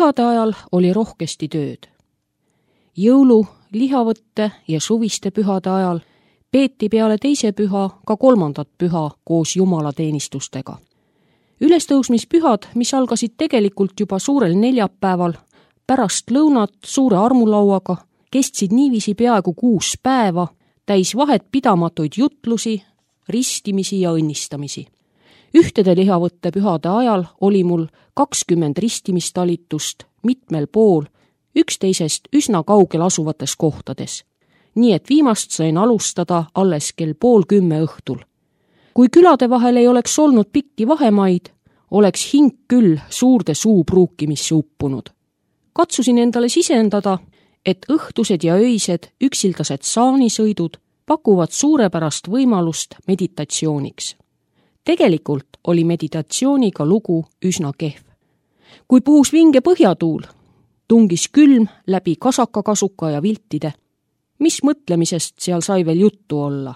Pühade ajal oli rohkesti tööd. Jõulu, lihavõtte ja suviste pühade ajal peeti peale teise püha ka kolmandat püha koos jumalateenistustega. Ülestõusmispühad, mis algasid tegelikult juba suurel neljapäeval, pärast lõunat suure armulauaga, kestsid niiviisi peaaegu 6 päeva, täis vahet pidamatuid jutlusi, ristimisi ja õnnistamisi. Ühtede lihavõtte pühade ajal oli mul 20 ristimistalitust mitmel pool, üksteisest üsna kaugel asuvates kohtades. Nii et viimast sain alustada alles kell 9:30 õhtul. Kui külade vahel ei oleks olnud pikki vahemaid, oleks hing küll suurde suupruukimisse uppunud. Katsusin endale sisendada, et õhtused ja öised üksildased saanisõidud pakuvad suurepärast võimalust meditatsiooniks. Tegelikult oli meditatsiooniga lugu üsna kehv. Kui puhus vinge põhjatuul, tungis külm läbi kasakakasuka ja viltide. Mis mõtlemisest seal sai veel juttu olla?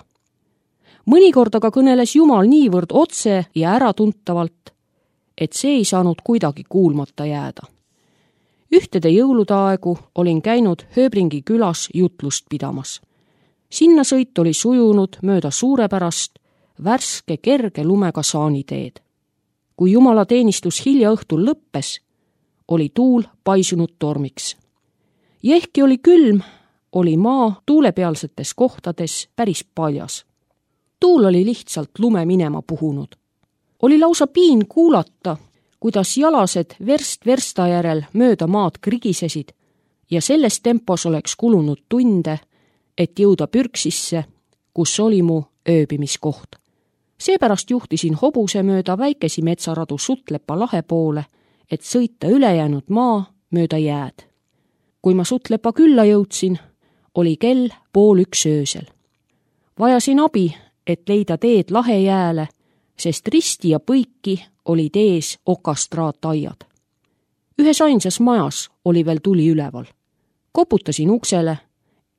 Mõnikord aga kõneles Jumal niivõrd otse ja äratuntavalt, et see ei saanud kuidagi kuulmata jääda. Ühtede jõulude aegu olin käinud Hööbringi külas jutlust pidamas. Sinna sõit oli sujunud mööda suurepärast, värske kerge lumega saaniteed. Kui jumalateenistus hilja õhtul lõppes, oli tuul paisunud tormiks. Ja ehkki oli külm, oli maa tuulepealsetes kohtades päris paljas. Tuul oli lihtsalt lume minema puhunud. Oli lausa piin kuulata, kuidas jalased verst versta järel mööda maad krigisesid ja selles tempos oleks kulunud tunde, et jõuda Pürksisse, kus oli mu ööbimiskoht. Seepärast juhtisin hobuse mööda väikesi metsaradu Sutlepa lahe poole, et sõita ülejäänud maa mööda jääd. Kui ma Sutlepa külla jõudsin, oli kell 12:30 öösel. Vajasin abi, et leida teed lahe jääle, sest risti ja põiki olid ees okastraataiad. Ühes ainsas majas oli veel tuli üleval. Koputasin uksele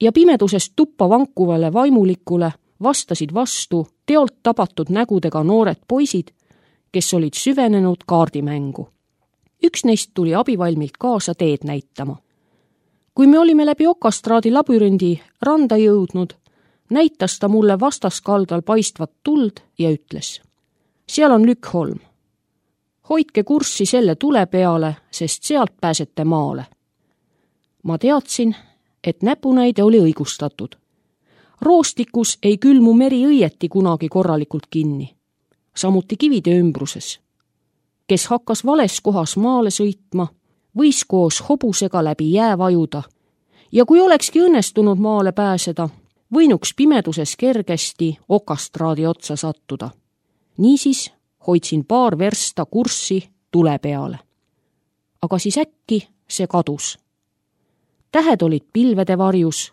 ja pimedusest tuppa vankuvale vaimulikule vastasid vastu teolt tabatud nägudega noored poisid, kes olid süvenenud kaardimängu. Üks neist tuli abivalmilt kaasa teed näitama. Kui me olime läbi okastraadi labürindi randa jõudnud, näitas ta mulle vastaskaldal paistvat tuld ja ütles: seal on Lükkholm. Hoidke kurssi selle tule peale, sest sealt pääsete maale. Ma teadsin, et näpunäide oli õigustatud. Roostikus ei külmu meri õieti kunagi korralikult kinni, samuti kivide ümbruses. Kes hakkas vales kohas maale sõitma, võis koos hobusega läbi jää vajuda ja kui olekski õnnestunud maale pääseda, võinuks pimeduses kergesti okastraadi otsa sattuda. Niisiis hoidsin paar versta kurssi tule peale. Aga siis äkki see kadus. Tähed olid pilvede varjus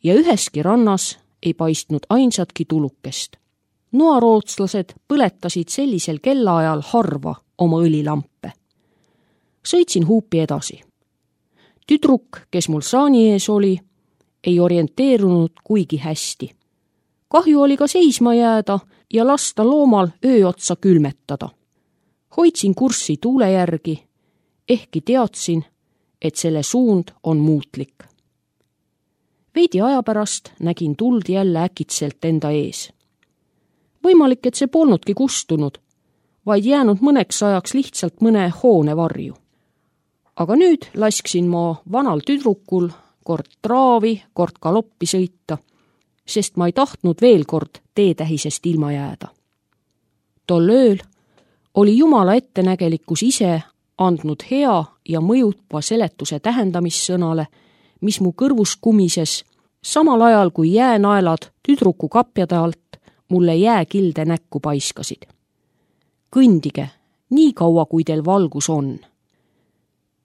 ja üheski rannas ei paistnud ainsatki tulukest. Noarootslased põletasid sellisel kellaajal harva oma õlilampe. Sõitsin huupi edasi. Tüdruk, kes mul saani ees oli, ei orienteerunud kuigi hästi. Kahju oli ka seisma jääda ja lasta loomal öö otsa külmetada. Hoidsin kurssi tuule järgi, ehkki teadsin, et selle suund on muutlik. Veidi aja pärast nägin tuld jälle äkitselt enda ees. Võimalik, et see polnudki kustunud, vaid jäänud mõneks ajaks lihtsalt mõne hoone varju. Aga nüüd lasksin ma vanal tüdrukul kord traavi, kord galoppi sõita, sest ma ei tahtnud veel kord teetähisest ilma jääda. Tol ööl oli Jumala ettenägelikkus ise andnud hea ja mõjuva seletuse tähendamissõnale, mis mu kõrvus kumises, samal ajal kui jäänaelad tüdruku kapjade alt mulle jääkilde näkku paiskasid. Kõndige, nii kaua kui teil valgus on.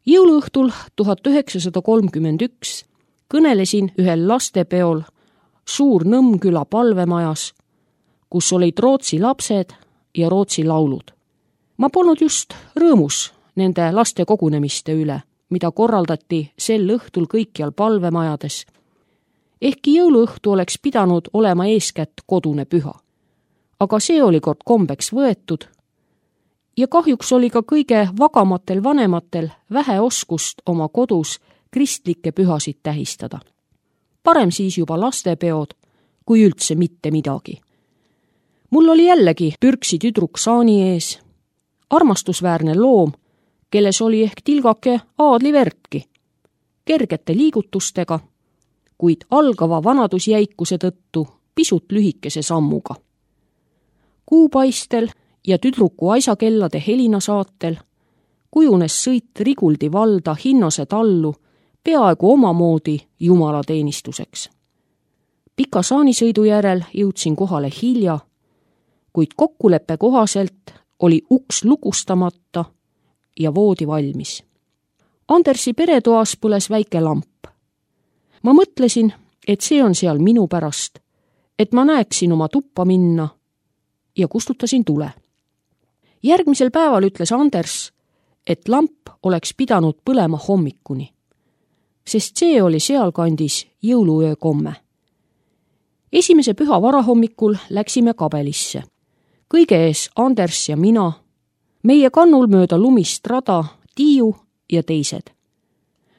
Jõuluõhtul 1931 kõnelesin ühel lastepeol Suur-Nõmmküla palvemajas, kus olid Rootsi lapsed ja Rootsi laulud. Ma polnud just rõõmus nende laste kogunemiste üle, mida korraldati sel õhtul kõikjal palvemajades. Ehkki jõuluõhtu oleks pidanud olema eeskätt kodune püha. Aga see oli kord kombeks võetud ja kahjuks oli ka kõige vagamatel vanematel vähe oskust oma kodus kristlikke pühasid tähistada. Parem siis juba lastepeod, kui üldse mitte midagi. Mul oli jällegi pürksi tüdruk saani ees, armastusväärne loom, kelles oli ehk tilgake aadlivertki, kergete liigutustega, kuid algava vanadusjäikuse tõttu pisut lühikese sammuga. Kuupaistel ja tüdruku aisakellade helina saatel kujunes sõit Riguldi valda Hinnase tallu peaaegu omamoodi jumalateenistuseks. Pika saanisõidu järel jõudsin kohale hilja, kuid kokkuleppe kohaselt oli uks lukustamata ja voodi valmis. Andersi peretoas põles väike lamp. Ma mõtlesin, et see on seal minu pärast, et ma näeksin oma tuppa minna ja kustutasin tule. Järgmisel päeval ütles Anders, et lamp oleks pidanud põlema hommikuni, sest see oli sealkandis jõuluöö komme. Esimese püha varahommikul läksime kabelisse. Kõige ees Anders ja mina, meie kannul mööda lumist rada, Tiiu ja teised.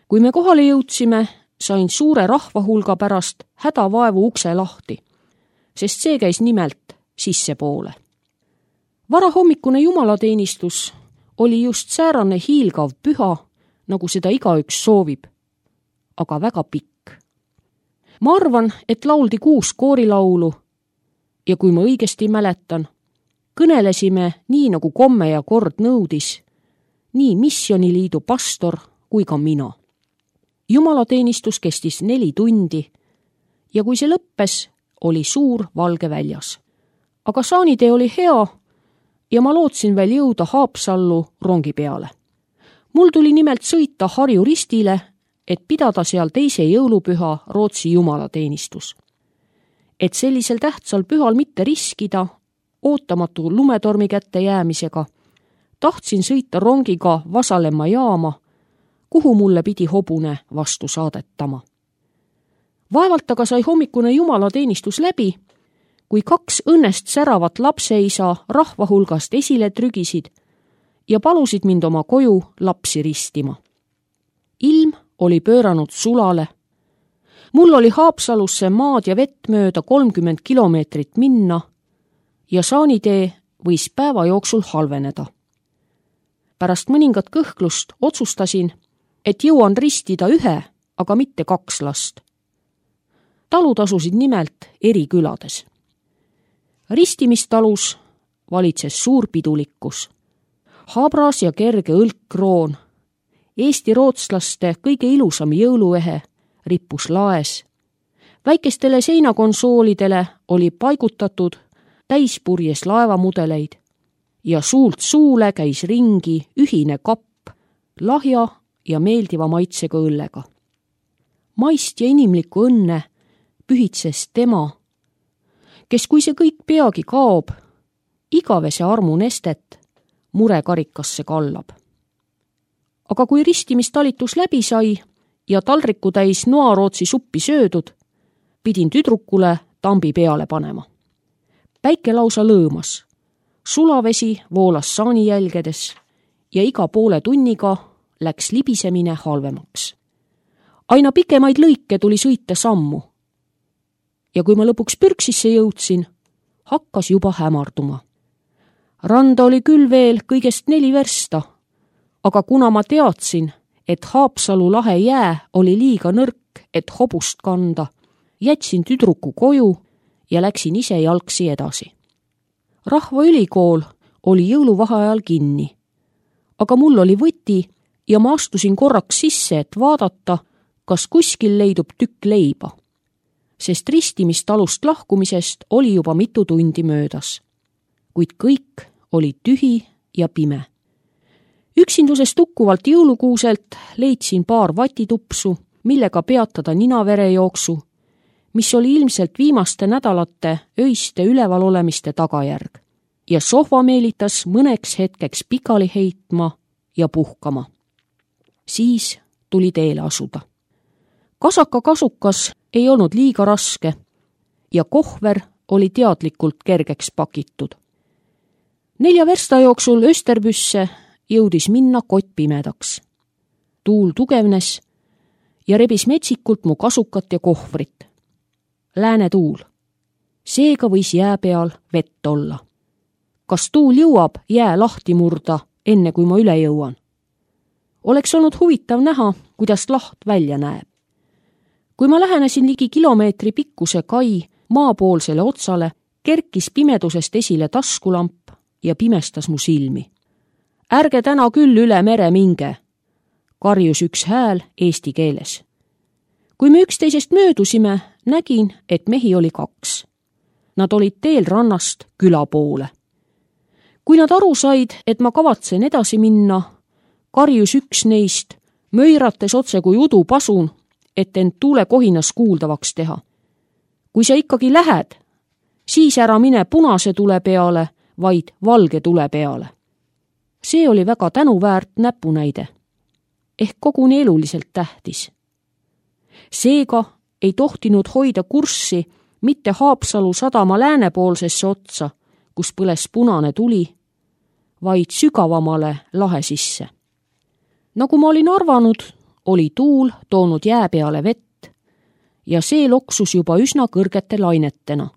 Kui me kohale jõudsime, sain suure rahvahulga pärast hädavaevu ukse lahti, sest see käis nimelt sissepoole. Varahommikune jumalateenistus oli just säärane hiilgav püha, nagu seda igaüks soovib, aga väga pikk. Ma arvan, et lauldi 6 koorilaulu ja kui ma õigesti mäletan, kõnelesime nii nagu komme ja kord nõudis, nii missioniliidu pastor kui ka mina. Jumalateenistus kestis 4 tundi ja kui see lõppes, oli suur valge väljas. Aga saanitee oli hea ja ma lootsin veel jõuda Haapsallu rongi peale. Mul tuli nimelt sõita Harju Ristile, et pidada seal teise jõulupüha Rootsi jumalateenistus. Et sellisel tähtsal pühal mitte riskida, ootamatu lumetormi kätte jäämisega, tahtsin sõita rongiga Vasalemma jaama, kuhu mulle pidi hobune vastu saadetama. Vaevalt aga sai hommikune jumalateenistus läbi, kui 2 õnnest säravat lapseisa rahvahulgast esile trügisid ja palusid mind oma koju lapsi ristima. Ilm oli pööranud sulale. Mul oli Haapsalusse maad ja vett mööda 30 kilomeetrit minna ja saanitee võis päeva jooksul halveneda. Pärast mõningat kõhklust otsustasin, et jõuan ristida 1, aga mitte 2 last. Talud asusid nimelt eri külades. Ristimistalus valitses suur pidulikkus. Habras ja kerge õlkkroon, Eesti rootslaste kõige ilusam jõuluehe rippus laes. Väikestele seinakonsoolidele oli paigutatud täispurjes laevamudeleid ja suult suule käis ringi ühine kapp lahja ja meeldiva maitsega õllega. Maist ja inimlikku õnne pühitses tema, kes kui see kõik peagi kaob, igavese armu nestet murekarikasse kallab. Aga kui ristimistalitus läbi sai ja taldriku täis noarootsi suppi söödud, pidin tüdrukule tambi peale panema. Päike lausa lõõmas, sulavesi voolas saani jälgedes ja iga poole tunniga läks libisemine halvemaks. Aina pikemaid lõike tuli sõita sammu. Ja kui ma lõpuks pürksisse jõudsin, hakkas juba hämarduma. Randa oli küll veel kõigest 4 versta, aga kuna ma teadsin, et Haapsalu lahe jää oli liiga nõrk, et hobust kanda, jätsin tüdruku koju ja läksin ise jalgsi edasi. Rahvaülikool oli jõuluvaheajal kinni, aga mul oli võti ja ma astusin korraks sisse, et vaadata, kas kuskil leidub tükk leiba, sest ristimistalust lahkumisest oli juba mitu tundi möödas, kuid kõik oli tühi ja pime. Üksindusest tukkuvalt jõulukuuselt leidsin paar vatitupsu, millega peatada ninaverejooksu, mis oli ilmselt viimaste nädalate öiste ülevalolemiste tagajärg, ja sohva meelitas mõneks hetkeks pikali heitma ja puhkama. Siis tuli teele asuda. Kasaka kasukas ei olnud liiga raske ja kohver oli teadlikult kergeks pakitud. 4 versta jooksul Österbüsse jõudis minna kott pimedaks. Tuul tugevnes ja rebis metsikult mu kasukat ja kohvrit. Lääne tuul. Seega võis jää peal vett olla. Kas tuul jõuab jää lahti murda, enne kui ma üle jõuan? Oleks olnud huvitav näha, kuidas laht välja näeb. Kui ma lähenesin ligi kilomeetri pikkuse kai maapoolsele otsale, kerkis pimedusest esile taskulamp ja pimestas mu silmi. Ärge täna küll üle mere minge, karjus üks hääl eesti keeles. Kui me üksteisest möödusime, nägin, et mehi oli 2. Nad olid teel rannast küla poole. Kui nad aru said, et ma kavatsen edasi minna, karjus üks neist, möirates otse kui udupasun, et end tuulekohinas kuuldavaks teha. Kui sa ikkagi lähed, siis ära mine punase tule peale, vaid valge tule peale. See oli väga tänuväärt näpunäide, ehk koguni eluliselt tähtis. Seega ei tohtinud hoida kurssi mitte Haapsalu sadama läänepoolsesse otsa, kus põles punane tuli, vaid sügavamale lahe sisse. Nagu ma olin arvanud, oli tuul toonud jää peale vett ja see loksus juba üsna kõrgete lainetena.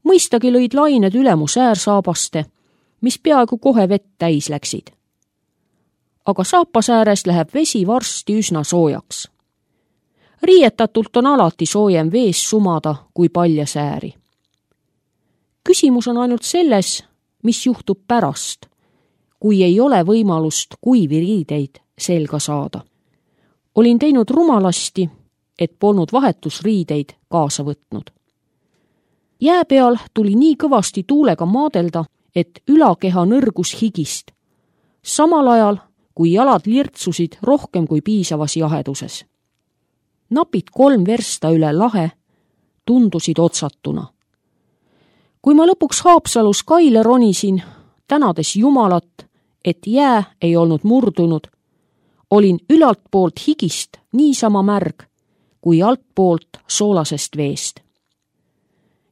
Mõistagi lõid lained üle mu säärsaabaste, mis peaaegu kohe vett täis läksid. Aga saapasääres läheb vesi varsti üsna soojaks. Riietatult on alati soojem vees sumada kui palja sääri. Küsimus on ainult selles, mis juhtub pärast, kui ei ole võimalust kuivi riideid selga saada. Olin teinud rumalasti, et polnud vahetusriideid kaasa võtnud. Jää peal tuli nii kõvasti tuulega maadelda, et ülakeha nõrgus higist, samal ajal kui jalad lirtsusid rohkem kui piisavas jaheduses. Napid 3 versta üle lahe tundusid otsatuna. Kui ma lõpuks Haapsalus kaile ronisin, tänades Jumalat, et jää ei olnud murdunud, olin ülalt poolt higist niisama märg kui altpoolt soolasest veest.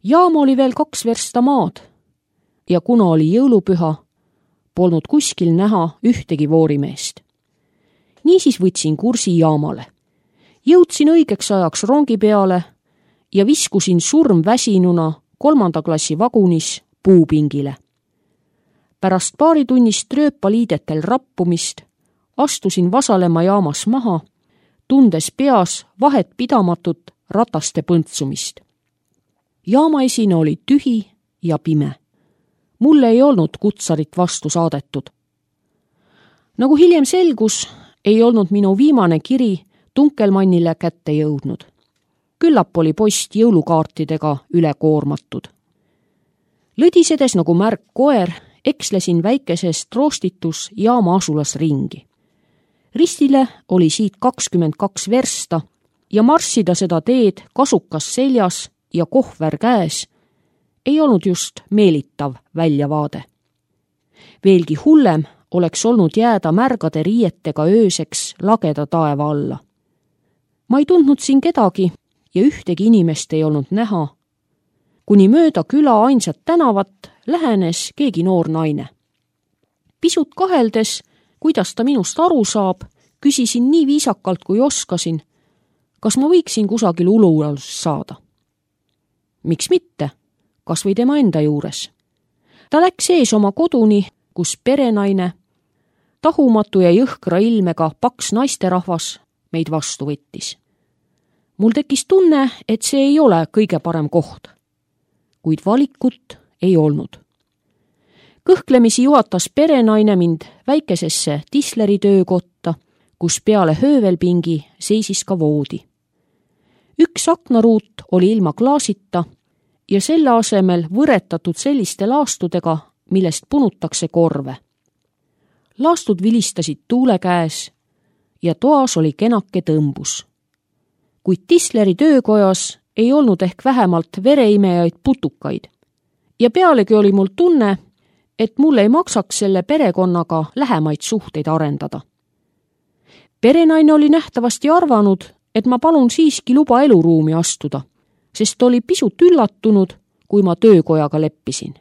Jaam oli veel 2 versta maad ja kuna oli jõulupüha, polnud kuskil näha ühtegi voorimeest. Niisiis võtsin kursi jaamale. Jõudsin õigeks ajaks rongi peale ja viskusin surmväsinuna 3. klassi vagunis puupingile. Pärast paaritunnist rööpaliidetel rappumist astusin Vasalemma jaamas maha, tundes peas vahet pidamatut rataste põntsumist. Jaamaesine oli tühi ja pime. Mulle ei olnud kutsarit vastu saadetud. Nagu hiljem selgus, ei olnud minu viimane kiri Tunkelmannile kätte jõudnud. Küllap oli post jõulukaartidega üle koormatud. Lõdisedes nagu märg koer, ekslesin väikesest roostitus jaama asulas ringi. Ristile oli siit 22 versta ja marssida seda teed kasukas seljas ja kohver käes ei olnud just meelitav väljavaade. Veelgi hullem oleks olnud jääda märgade riietega ööseks lageda taeva alla. Ma ei tundnud siin kedagi ja ühtegi inimest ei olnud näha. Kuni mööda küla ainsat tänavat lähenes keegi noor naine. Pisut kaheldes, kuidas ta minust aru saab, küsisin nii viisakalt kui oskasin, kas ma võiksin kusagil ulualus saada. Miks mitte? Kas või tema enda juures. Ta läks ees oma koduni, kus perenaine, tahumatu ja jõhkra ilmega paks naisterahvas meid vastu võttis. Mul tekkis tunne, et see ei ole kõige parem koht, kuid valikut ei olnud. Kõhklemisi juhatas perenaine mind väikesesse tisleri töökotta, kus peale höövelpingi seisis ka voodi. Üks aknaruut oli ilma klaasita ja selle asemel võretatud selliste laastudega, millest punutakse korve. Laastud vilistasid tuule käes ja toas oli kenake tõmbus. Kuid tisleri töökojas ei olnud ehk vähemalt vereimejaid putukaid ja pealegi oli mul tunne, et mul ei maksaks selle perekonnaga lähemaid suhteid arendada. Perenaine oli nähtavasti arvanud, et ma palun siiski luba eluruumi astuda, sest oli pisut üllatunud, kui ma töökojaga leppisin.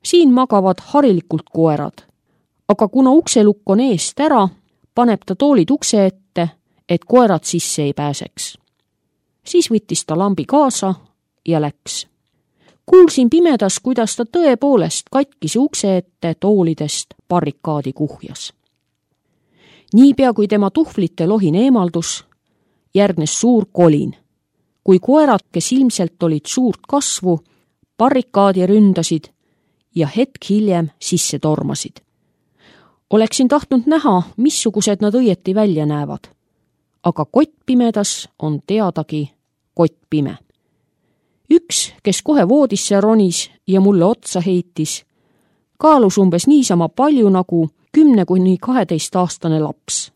Siin magavad harilikult koerad, aga kuna ukselukk on eest ära, paneb ta toolid ukse ette, et koerad sisse ei pääseks. Siis võttis ta lambi kaasa ja läks. Kuulsin pimedas, kuidas ta tõepoolest katkise ukse ette toolidest barrikaadi kuhjas. Niipea kui tema tuhvlite lohin eemaldus, järgnes suur kolin. Kui koerad, kes ilmselt olid suurt kasvu, barrikaadi ründasid ja hetk hiljem sisse tormasid. Oleksin tahtnud näha, missugused nad õieti välja näevad. Aga kott pimedas on teadagi kott pime. Üks, kes kohe voodisse ronis ja mulle otsa heitis, kaalus umbes niisama palju nagu 10–12-aastane laps.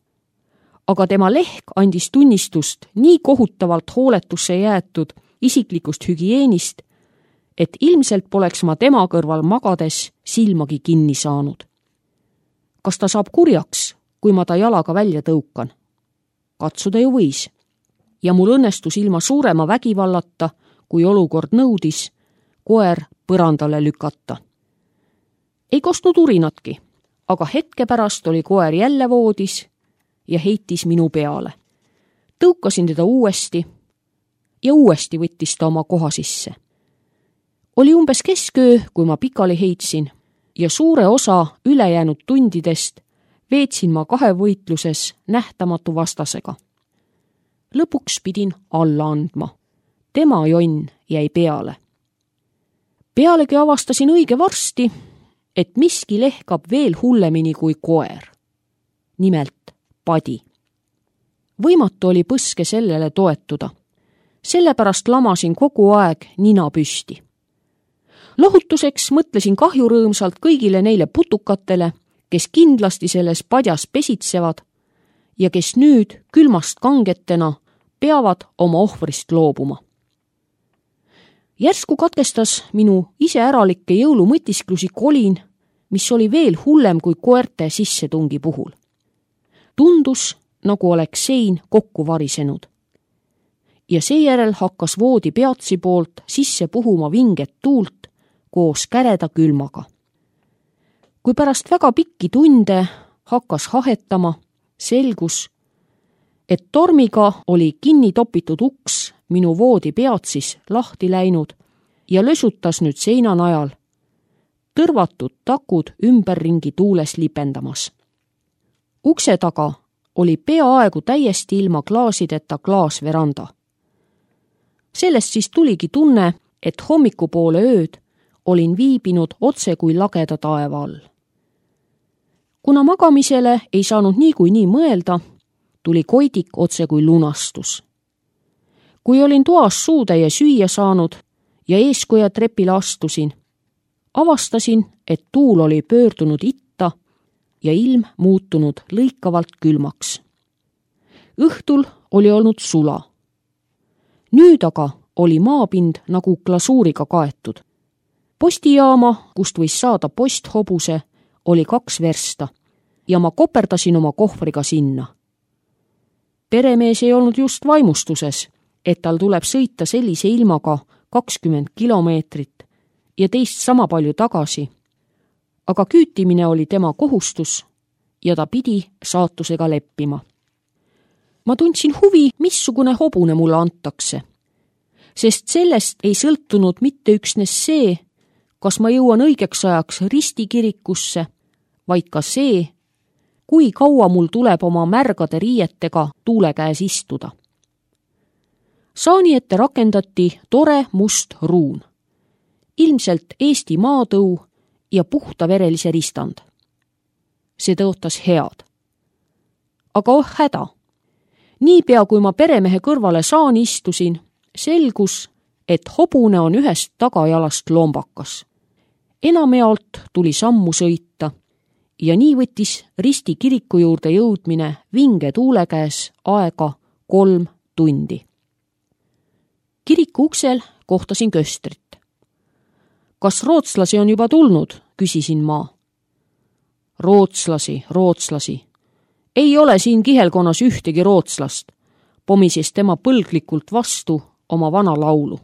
Aga tema lehk andis tunnistust nii kohutavalt hooletusse jäetud isiklikust hügieenist, et ilmselt poleks ma tema kõrval magades silmagi kinni saanud. Kas ta saab kurjaks, kui ma ta jalaga välja tõukan? Katsuda ju võis. Ja mul õnnestus ilma suurema vägivallata, kui olukord nõudis, koer põrandale lükata. Ei kostnud urinatki, aga hetke pärast oli koer jälle voodis ja heitis minu peale. Tõukasin teda uuesti ja uuesti võttis ta oma koha sisse. Oli umbes kesköö, kui ma pikali heitsin ja suure osa ülejäänud tundidest veetsin ma kahevõitluses nähtamatu vastasega. Lõpuks pidin alla andma. Tema jonn jäi peale. Pealegi avastasin õige varsti, et miski lehkab veel hullemini kui koer. Nimelt padi. Võimatu oli põske sellele toetuda. Sellepärast lamasin kogu aeg nina püsti. Lohutuseks mõtlesin kahjurõõmsalt kõigile neile putukatele, kes kindlasti selles padjas pesitsevad ja kes nüüd külmast kangetena peavad oma ohvrist loobuma. Järsku katkestas minu iseäralikke jõulumõtisklusi kolin, mis oli veel hullem kui koerte sissetungi puhul. Tundus, nagu oleks sein kokku varisenud. Ja seejärel hakkas voodi peatsi poolt sisse puhuma vinget tuult koos käreda külmaga. Kui pärast väga pikki tunde hakkas hahetama, selgus, et tormiga oli kinni topitud uks minu voodi peatsis lahti läinud ja lösutas nüüd seina najal, tõrvatud takud ümberringi tuules lipendamas. Ukse taga oli peaaegu täiesti ilma klaasideta klaasveranda. Sellest siis tuligi tunne, et hommikupoole ööd olin viibinud otse kui lageda taeva all. Kuna magamisele ei saanud niikuinii mõelda, tuli koidik otse kui lunastus. Kui olin toas suutäie süüa saanud ja eeskoja trepile astusin, avastasin, et tuul oli pöördunud itta ja ilm muutunud lõikavalt külmaks. Õhtul oli olnud sula. Nüüd aga oli maapind nagu glasuuriga kaetud. Postijaama, kust võis saada posthobuse, oli 2 versta ja ma koperdasin oma kohvriga sinna. Peremees ei olnud just vaimustuses, et tal tuleb sõita sellise ilmaga 20 kilomeetrit ja teist sama palju tagasi, aga küütimine oli tema kohustus ja ta pidi saatusega leppima. Ma tundsin huvi, missugune hobune mulle antakse, sest sellest ei sõltunud mitte üksnes see, kas ma jõuan õigeks ajaks ristikirikusse, vaid ka see, kui kaua mul tuleb oma märgade riietega tuule käes istuda. Saani ette rakendati tore must ruun, ilmselt Eesti maatõu ja puhtaverelise ristand. See tõotas head. Aga oh häda! Niipea kui ma peremehe kõrvale saani istusin, selgus, et hobune on ühest tagajalast lombakas. Enamjaolt tuli sammu sõita ja nii võttis Risti kiriku juurde jõudmine vinge tuule käes aega 3 tundi. Kiriku uksel kohtasin köstrit. Kas rootslasi on juba tulnud, küsisin ma. Rootslasi. Ei ole siin kihelkonnas ühtegi rootslast, pomises tema põlglikult vastu oma vana laulu.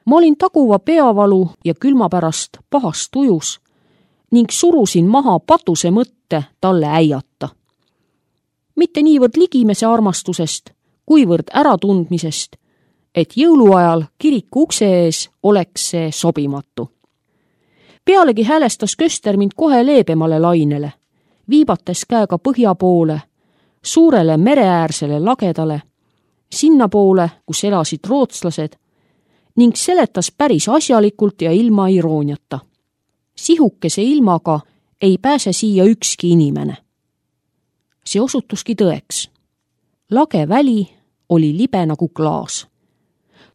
Ma olin taguva peavalu ja külma pärast pahast tujus ning surusin maha patuse mõtte talle äiata. Mitte niivõrd ligimese armastusest, kuivõrd äratundmisest, et jõuluajal kiriku ukse ees oleks see sobimatu. Pealegi häälestas köster mind kohe leebemale lainele, viibates käega põhja poole, suurele mereäärsele lagedale, sinna poole, kus elasid rootslased, ning seletas päris asjalikult ja ilma irooniata. Sihukese ilmaga ei pääse siia ükski inimene. See osutuski tõeks. Lage väli oli libe nagu klaas.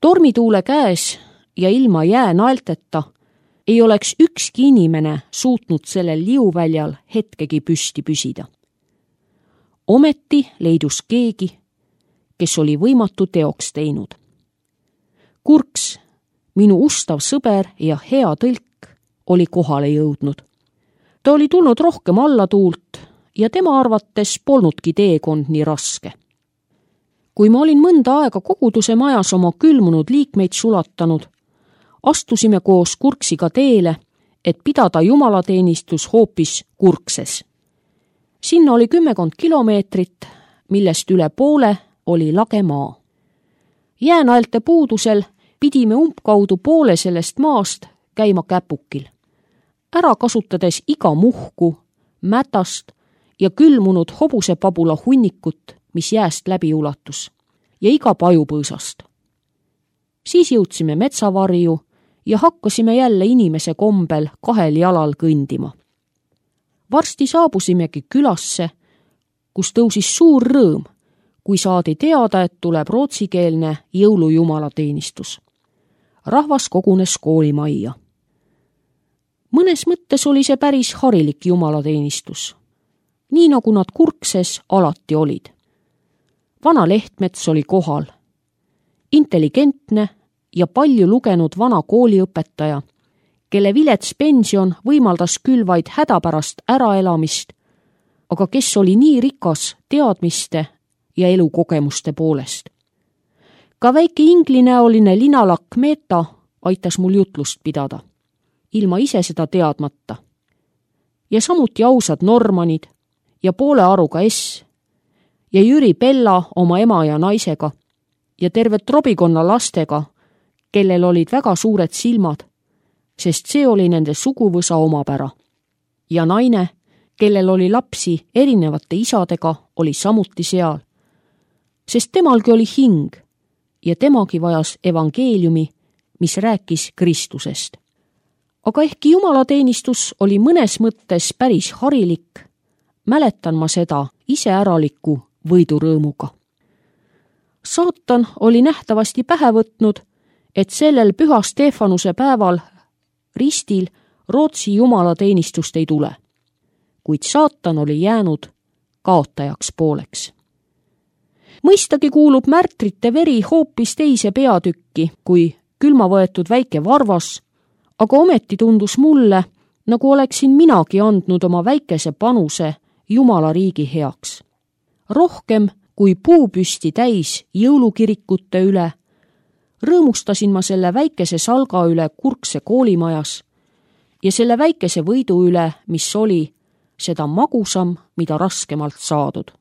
Tormituule käes ja ilma jäänaelteta ei oleks ükski inimene suutnud sellel liuväljal hetkegi püsti püsida. Ometi leidus keegi, kes oli võimatu teoks teinud. Kurks, minu ustav sõber ja hea tõlk, oli kohale jõudnud. Ta oli tulnud rohkem allatuult ja tema arvates polnudki teekond nii raske. Kui ma olin mõnda aega koguduse majas oma külmunud liikmeid sulatanud, astusime koos Kurksiga teele, et pidada jumalateenistus hoopis Kurkses. Sinna oli 10 kilomeetrit, millest üle poole oli lage maa. Jäänaelte puudusel pidime umbkaudu poole sellest maast käima käpukil, ära kasutades iga muhku, mätast ja külmunud hobusepabula hunnikut, mis jääst läbi ulatus, ja iga pajupõõsast. Siis jõudsime metsavarju ja hakkasime jälle inimese kombel 2 jalal kõndima. Varsti saabusimegi külasse, kus tõusis suur rõõm, kui saadi teada, et tuleb rootsikeelne jõulujumalateenistus. Rahvas kogunes koolimajja. Mõnes mõttes oli see päris harilik jumalateenistus, nii nagu nad Kurkses alati olid. Vana Lehtmets oli kohal, intelligentne ja palju lugenud vana kooliõpetaja, kelle vilets pension võimaldas küll vaid hädapärast äraelamist, aga kes oli nii rikas teadmiste ja elukogemuste poolest. Ka väike inglinäoline linalakk Meeta aitas mul jutlust pidada, ilma ise seda teadmata. Ja samuti ausad Normanid ja poole aruga S ja Jüri Pella oma ema ja naisega ja terve trobikonna lastega, kellel olid väga suured silmad, sest see oli nende suguvõsa omapära. Ja naine, kellel oli lapsi erinevate isadega, oli samuti seal, sest temalgi oli hing ja temagi vajas evangeeliumi, mis rääkis Kristusest. Aga ehkki jumalateenistus oli mõnes mõttes päris harilik, mäletan ma seda iseäraliku võidurõõmuga. Saatan oli nähtavasti pähe võtnud, et sellel Püha Stefanuse päeval ristil Rootsi jumalateenistust ei tule, kuid saatan oli jäänud kaotajaks pooleks. Mõistagi kuulub märtrite veri hoopis teise peatükki kui külma võetud väike varvas, aga ometi tundus mulle, nagu oleksin minagi andnud oma väikese panuse Jumala riigi heaks. Rohkem kui puupüsti täis jõulukirikute üle, rõõmustasin ma selle väikese salga üle Kurkse koolimajas ja selle väikese võidu üle, mis oli seda magusam, mida raskemalt saadud.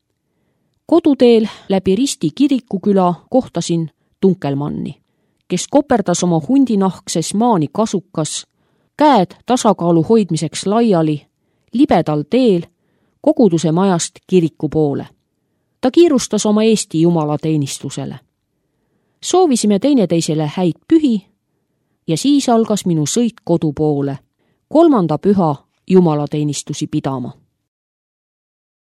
Koduteel läbi Risti kirikuküla kohtasin Tunkelmanni, kes koperdas oma hundinahkses maani kasukas, käed tasakaalu hoidmiseks laiali, libedal teel koguduse majast kiriku poole. Ta kiirustas oma Eesti jumalateenistusele. Soovisime teineteisele häid pühi ja siis algas minu sõit kodu poole, 3. püha jumalateenistusi pidama.